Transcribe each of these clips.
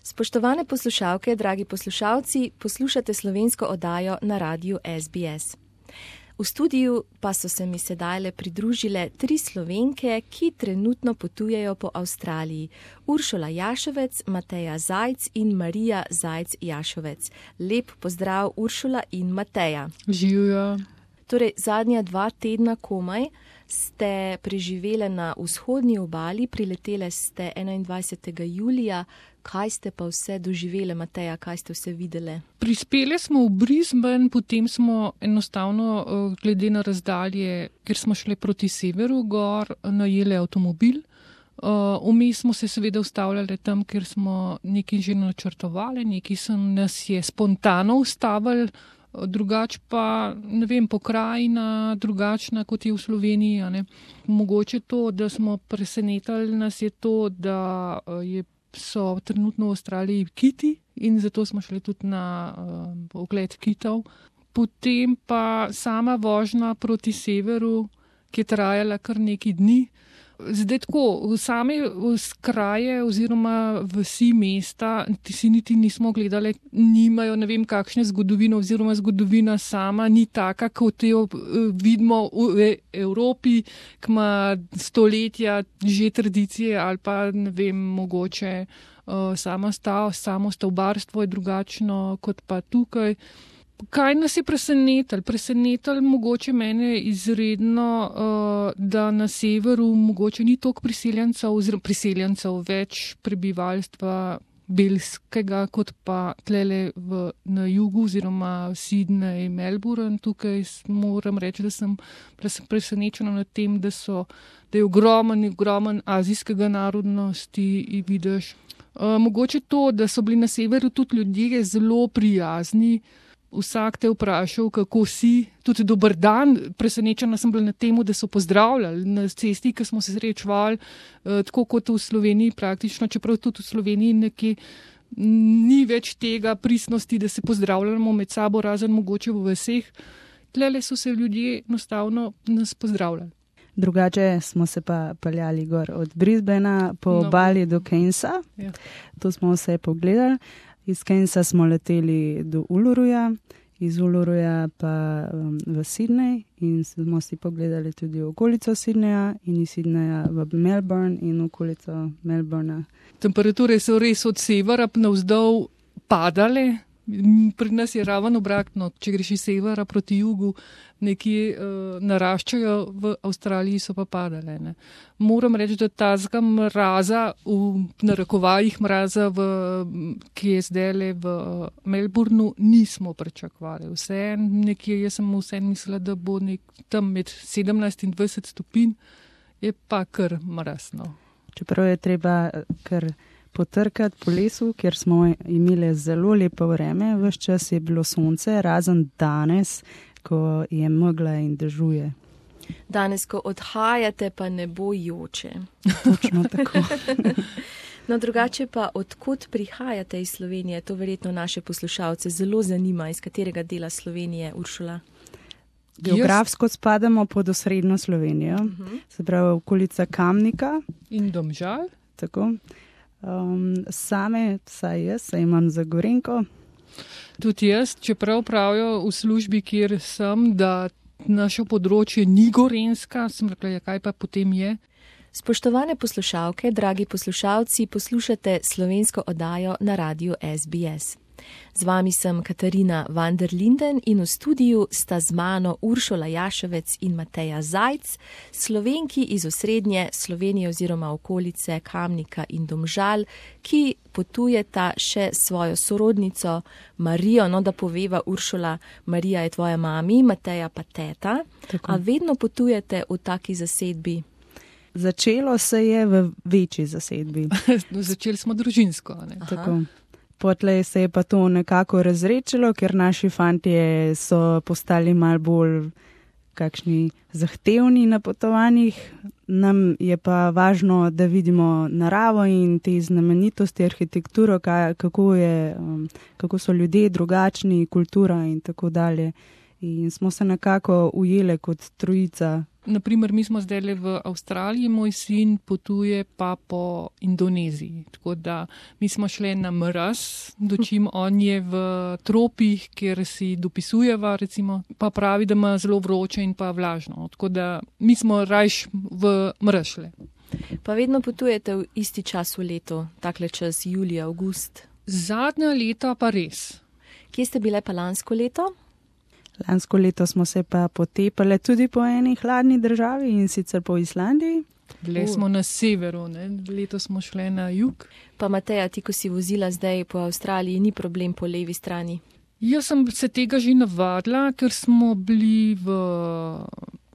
Spoštovane poslušalke, dragi poslušalci, poslušate slovensko oddajo na radiju SBS. V studiu pa so se mi sedajle pridružile 3 Slovenke, ki trenutno potujejo po Avstraliji. Uršula Jašovec, Mateja Zajc in Marija Zajc Jašovec. Lep pozdrav, Uršula in Mateja. Živijo. Torej, zadnja 2 tedna komaj ste preživele na vzhodni obali, priletele ste 21. julija. Kaj ste pa vse doživele, Mateja, kaj ste vse videle? Prispele smo v Brisbane, potem smo enostavno, glede na razdalje, ker smo šli proti severu gor, najeli avtomobil. Vmes smo se seveda ustavljali tam, ker smo nekaj že načrtovali, nekaj nas je spontano ustavili, drugač pa, ne vem, pokrajina drugačna, kot je v Sloveniji. A ne. Mogoče to, da smo presenetili, nas je to, da so trenutno v Avstraliji kiti in zato smo šli tudi na ogled kitov. Potem pa sama vožnja proti severu, ki je trajala kar nekaj dni. Zdaj tako, same kraje oziroma vsi mesta, si niti nismo gledali, nimajo ne vem kakšne zgodovine oziroma zgodovina sama ni taka, kot jo vidimo v Evropi, ki ima stoletja že tradicije ali pa ne vem, mogoče samo stavbarstvo je drugačno kot pa tukaj. Kaj nas je presenetilo? Presenetilo mogoče mene izredno, da na severu mogoče ni toliko priseljencev, več prebivalstva belskega, kot pa tlele na jugu oziroma Sydney, Melbourne. Tukaj moram reči, da sem presenečena nad tem, da je ogromen azijskega narodnosti, vidiš. Mogoče to, da so bili na severu tudi ljudje zelo prijazni. Vsak te vprašal, kako si, tudi dober dan. Presenečena sem bila na temu, da so pozdravljali na cesti, ki smo se srečevali, tako kot v Sloveniji praktično, čeprav tudi v Sloveniji nekje ni več tega pristnosti, da se pozdravljamo med sabo, razen mogoče v vaseh. Tlele so se ljudje enostavno nas pozdravljali. Drugače smo se pa peljali gor od Brisbanea po obali do Cairnsa. Ja. To smo vse pogledali. Iz Cairnsa smo leteli do Uluruja, iz Uluruja pa v Sydney in smo si pogledali tudi okolico Sydneya in iz Sydneya v Melbourne in okolico Melbourna. Temperature so res od severa navzdol padale. Pri nas je ravno obratno, če greš iz severa proti jugu, nekje naraščajo, v Avstraliji so pa padale. Ne. Moram reči, da tazga mraza, v narekovajih mraza, ki je zdajle v Melbourneu, nismo pričakovali. Jaz sem mislila, da bo tam med 17 in 20 stopinj, je pa kar mrazno. Čeprav je treba kar potrkati po lesu, kjer smo imeli zelo lepo vreme, ves čas je bilo sonce, razen danes, ko je megla in dežuje. Danes, ko odhajate, pa ne bo joče. Točno tako. No, drugače pa, odkot prihajate iz Slovenije? To verjetno naše poslušalce zelo zanima, iz katerega dela Slovenije, Uršula? Geografsko spadamo pod osrednjo Slovenijo, se pravi okolica Kamnika. In Domžal. Tako. Same, vsaj jaz, se imam za Gorenjko. Tudi jaz, čeprav pravijo v službi, kjer sem, da naše področje ni gorenjska, sem rekla, kaj pa potem je. Spoštovane poslušalke, dragi poslušalci, poslušate slovensko oddajo na radiju SBS. Z vami sem Katarina van der Linden in v studiu sta z mano Uršula Jašovec in Mateja Zajc, Slovenki iz osrednje Slovenije oziroma okolice Kamnika in Domžal, ki potujeta še svojo sorodnico Marijo. No, da poveva, Uršula, Marija je tvoja mami, Mateja pa teta. Tako. A vedno potujete v taki zasedbi? Začelo se je v večji zasedbi. Začeli smo družinsko. Ne? Tako. Potlej se je pa to nekako razrečilo, ker naši fantje so postali malo bolj kakšni zahtevni na potovanjih. Nam je pa važno, da vidimo naravo in te znamenitosti, arhitekturo, kako so ljudje drugačni, kultura in tako dalje. In smo se nekako ujeli kot trojica naprimer, mi smo zdaj v Avstraliji, moj sin potuje pa po Indoneziji. Tako da mi smo šli na mraz, dočim on je v tropih, kjer si dopisujeva, recimo, pa pravi, da ima zelo vroče in pa vlažno. Tako da mi smo rajš v mraz šli. Pa vedno potujete v isti čas v letu, takle čas julij, avgust? Zadnja leta pa res. Kje ste bile pa lansko leto? Lansko leto smo se pa potepali tudi po eni hladni državi, in sicer po Islandiji. Bili smo na severu, ne? Leto smo šli na jug. Pa Mateja, ti, ko si vozila zdaj po Avstraliji, ni problem po levi strani? Jaz sem se tega že navadila, ker smo bili v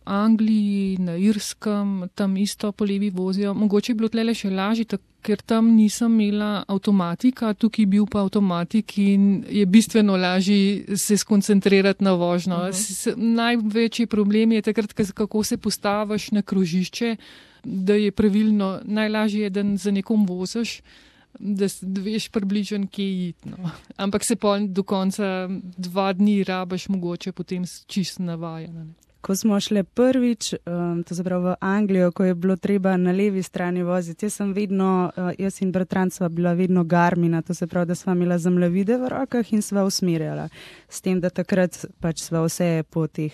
Angliji, na Irskem, tam isto po levi vozijo. Mogoče je bilo tlele še lažje, ker tam nisem imela avtomatika, tukaj bil pa avtomatik in je bistveno lažje se skoncentrirati na vožnjo. Največji problem je takrat, kako se postaviš na krožišče, da je pravilno, najlažje je, da za nekom voziš, da veš približno, kje iti. No. Ampak se pa do konca 2 dni rabaš mogoče potem čisto navajena. Ko smo šli prvič, to se pravi v Anglijo, ko je bilo treba na levi strani voziti, jaz in bratranc sva bila vedno Garmina, to se pravi, da sva imela zemljevide v rokah in sva usmerjala. S tem, da takrat pač sva vse po teh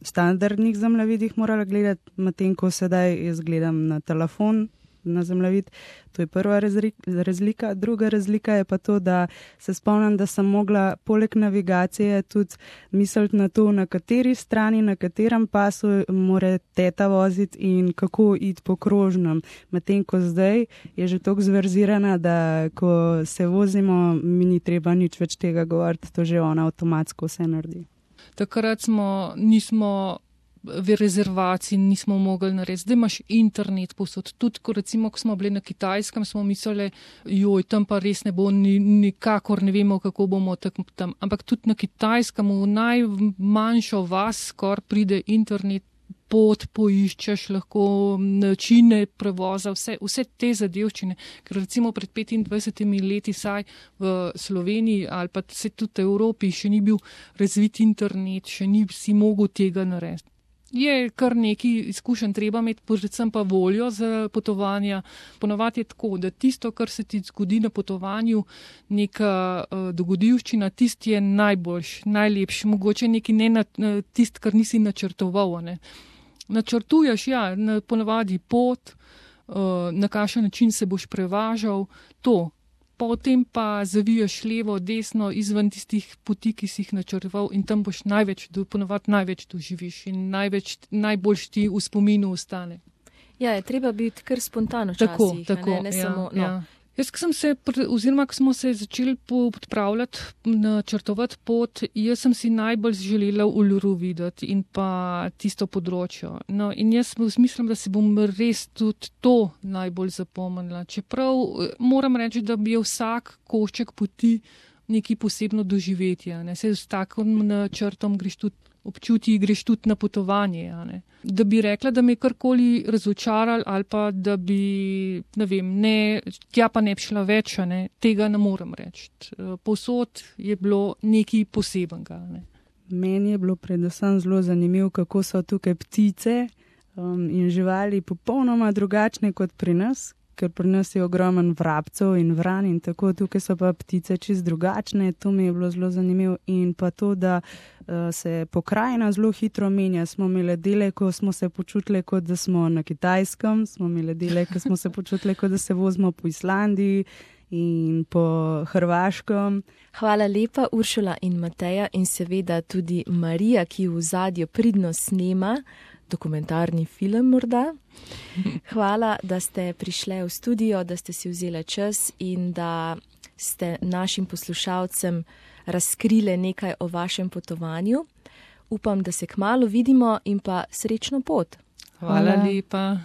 standardnih zemljevidih morala gledati, medtem ko sedaj jaz gledam na telefon, na zemljevid. To je prva razlika. Druga razlika je pa to, da se spomnim, da sem mogla poleg navigacije tudi misliti na to, na kateri strani, na katerem pasu mora teta voziti in kako iti po krožnem. Medtem ko zdaj je že toliko zverzirana, da ko se vozimo, mi ni treba nič več tega govoriti, to že ona avtomatsko vse naredi. Takrat nismo v rezervaciji nismo mogli narediti. Zdaj imaš internet posod. Tudi, ko smo bili na Kitajskem, smo mislili, tam pa res ne bo nikakor, ne vemo, kako bomo tam. Ampak tudi na Kitajskem, v najmanjšo vas, skor pride internet, pot poiščeš, lahko načine prevoza, vse te zadevščine. Ker recimo pred 25 leti saj v Sloveniji ali pa se tudi v Evropi še ni bil razvit internet, še ni si mogel tega narediti. Je kar nekaj izkušenj treba imeti, predvsem pa voljo za potovanja. Ponovadi je tako, da tisto, kar se ti zgodi na potovanju, neka dogodivščina, tisti je najlepši, mogoče nekaj tisto, kar nisi načrtoval. Ne. Načrtuješ, ponovadi pot, na kakšen način se boš prevažal, to. Potem pa zaviješ levo, desno, izven tistih poti, ki si jih načrtoval in tam boš ponovadi največ doživiš in najbolj ti v spominu ostane. Ja, je treba biti kar spontano včasih. Tako, ne samo, no. Ja. Jaz, ko smo se začeli podpravljati, načrtovati pot, jaz sem si najbolj želela Uluru videti in pa tisto področje. No, in jaz mislim, da si bom res tudi to najbolj zapomnila. Čeprav moram reči, da bi vsak košček poti nekaj posebno doživetje. Se s takim načrtom greš tudi na potovanje. Da bi rekla, da me je karkoli razočarali ali pa da bi, tja pa ne bi šla več, tega ne morem reči. Povsod je bilo nekaj posebenega. Meni je bilo predvsem zelo zanimivo, kako so tukaj ptice in živali popolnoma drugačne kot pri nas, ker pri nas je ogromen vrabcev in vran in tako, tukaj so pa ptice čist drugačne, to mi je bilo zelo zanimivo in pa to, da se pokrajina zelo hitro menja. Smo imeli dele, ko smo se počutili, kot da smo na Kitajskem, smo imeli dele, ko smo se počutili, kot da se vozimo po Islandiji in po Hrvaškem. Hvala lepa, Uršula in Mateja in seveda tudi Marija, ki v ozadju pridno snema dokumentarni film morda. Hvala, da ste prišle v studio, da ste si vzeli čas in da ste našim poslušalcem razkrile nekaj o vašem potovanju. Upam, da se kmalu vidimo in pa srečno pot. Hvala lepa.